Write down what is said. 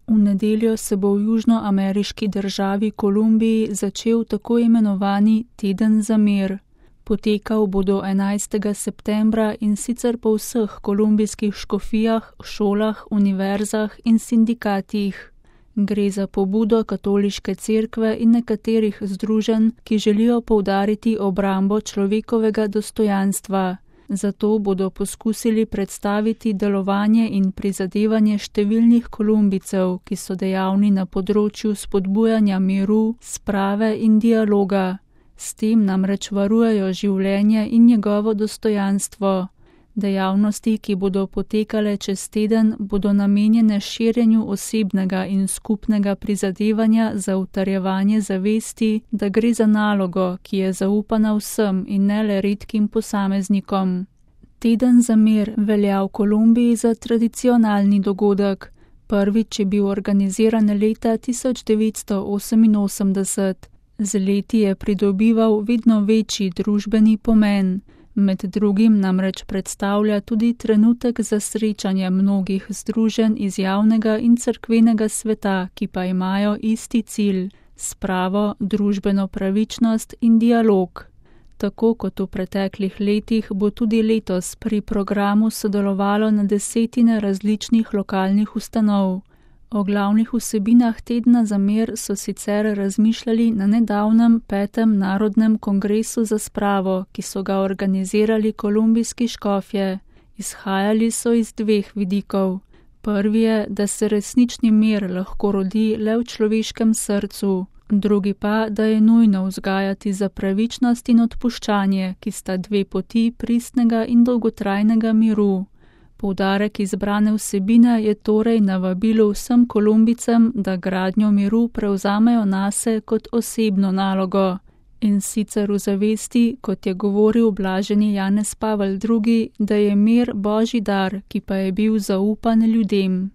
V nedeljo se bo v južnoameriški državi Kolumbiji začel tako imenovani Teden za mir. Potekal bo do 11. septembra in sicer po vseh kolumbijskih škofijah, šolah, univerzah in sindikatih. Gre za pobudo katoliške cerkve in nekaterih združenj, ki želijo poudariti obrambo človekovega dostojanstva. Zato bodo poskusili predstaviti delovanje in prizadevanje številnih Kolumbijcev, ki so dejavni na področju spodbujanja miru, sprave in dialoga. S tem namreč varujejo življenje in njegovo dostojanstvo. Dejavnosti, ki bodo potekale čez teden, bodo namenjene širjenju osebnega in skupnega prizadevanja za utrjevanje zavesti, da gre za nalogo, ki je zaupana vsem in ne le redkim posameznikom. Teden za mir velja v Kolumbiji za tradicionalni dogodek. Prvič je bil organiziran leta 1988. Z leti je pridobival vedno večji družbeni pomen. Med drugim namreč predstavlja tudi trenutek za srečanje mnogih združenj iz javnega in cerkvenega sveta, ki pa imajo isti cilj – spravo, družbeno pravičnost in dialog. Tako kot v preteklih letih bo tudi letos pri programu sodelovalo na desetine različnih lokalnih ustanov. O glavnih vsebinah Tedna za mir so sicer razmišljali na nedavnem 5. narodnem kongresu za spravo, ki so ga organizirali kolumbijski škofje. Izhajali so iz dveh vidikov. Prvi je, da se resnični mir lahko rodi le v človeškem srcu. Drugi pa, da je nujno vzgajati za pravičnost in odpuščanje, ki sta dve poti pristnega in dolgotrajnega miru. Poudarek izbrane vsebine je torej na vabilu vsem Kolumbijcem, da gradnjo miru prevzamejo nase kot osebno nalogo. In sicer v zavesti, kot je govoril blaženi Janez Pavel II., da je mir Božji dar, ki pa je bil zaupan ljudem.